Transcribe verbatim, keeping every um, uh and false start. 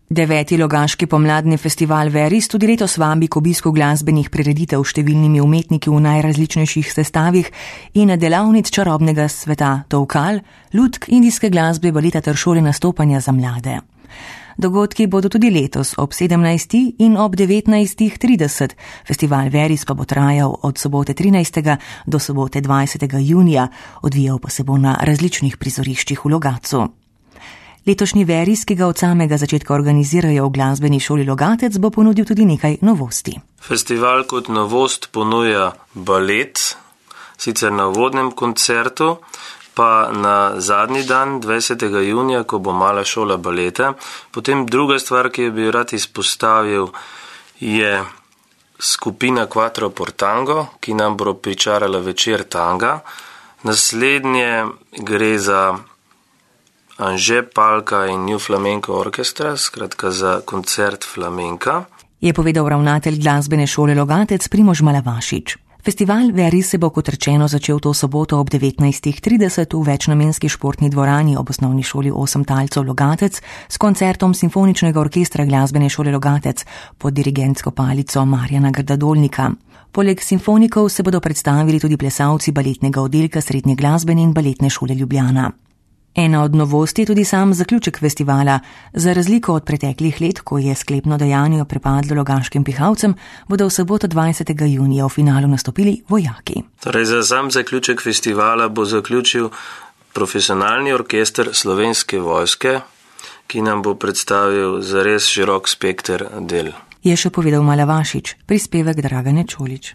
Deveti Logaški pomladni festival Veris tudi letos vabi k obisku glasbenih prireditev s številnimi umetniki v najrazličnejših sestavih in delavnic čarobnega sveta tolkal, lutk, indijske glasbe, baleta ter šole nastopanja za mlade. Dogodki bodo tudi letos ob sedemnajstih in ob devetnajstih trideset. Festival Veris pa bo trajal od sobote trinajstega do sobote dvajsetega junija, odvijal pa se bo na različnih prizoriščih v Logatcu. Letošnji Veris, ki ga od samega začetka organizirajo v glasbeni šoli Logatec, bo ponudil tudi nekaj novosti. Festival kot novost ponuja balet, sicer na uvodnem koncertu, pa na zadnji dan, dvajsetega junija, ko bo mala šola baleta. Potem druga stvar, ki bi rad izpostavil, je skupina Quattro Portango, ki nam bo pričarala večer tanga. Naslednje gre za Anže Palka in New Flamenco Orchestra, skratka za koncert flamenka, je povedal ravnatelj glasbene šole Logatec Primož Malavašič. Festival Veris se bo kot rečeno začel to soboto ob devetnajstih trideset v večnamenski športni dvorani ob osnovni šoli Osem talcev Logatec s koncertom Simfoničnega orkestra glasbene šole Logatec pod dirigentsko palico Marjana Grdadolnika. Poleg simfonikov se bodo predstavili tudi plesalci baletnega oddelka Srednje glasbene in baletne šole Ljubljana. Ena od novosti je tudi sam zaključek festivala. Za razliko od preteklih let, ko je sklepno dejanje prepadlo logaškim pihalcem, bodo v soboto dvajsetega junija v finalu nastopili vojaki. Torej, za sam zaključek festivala bo zaključil profesionalni orkester Slovenske vojske, ki nam bo predstavil zares širok spekter del. Je še povedal Malavašič, prispevek Dragane Čolić.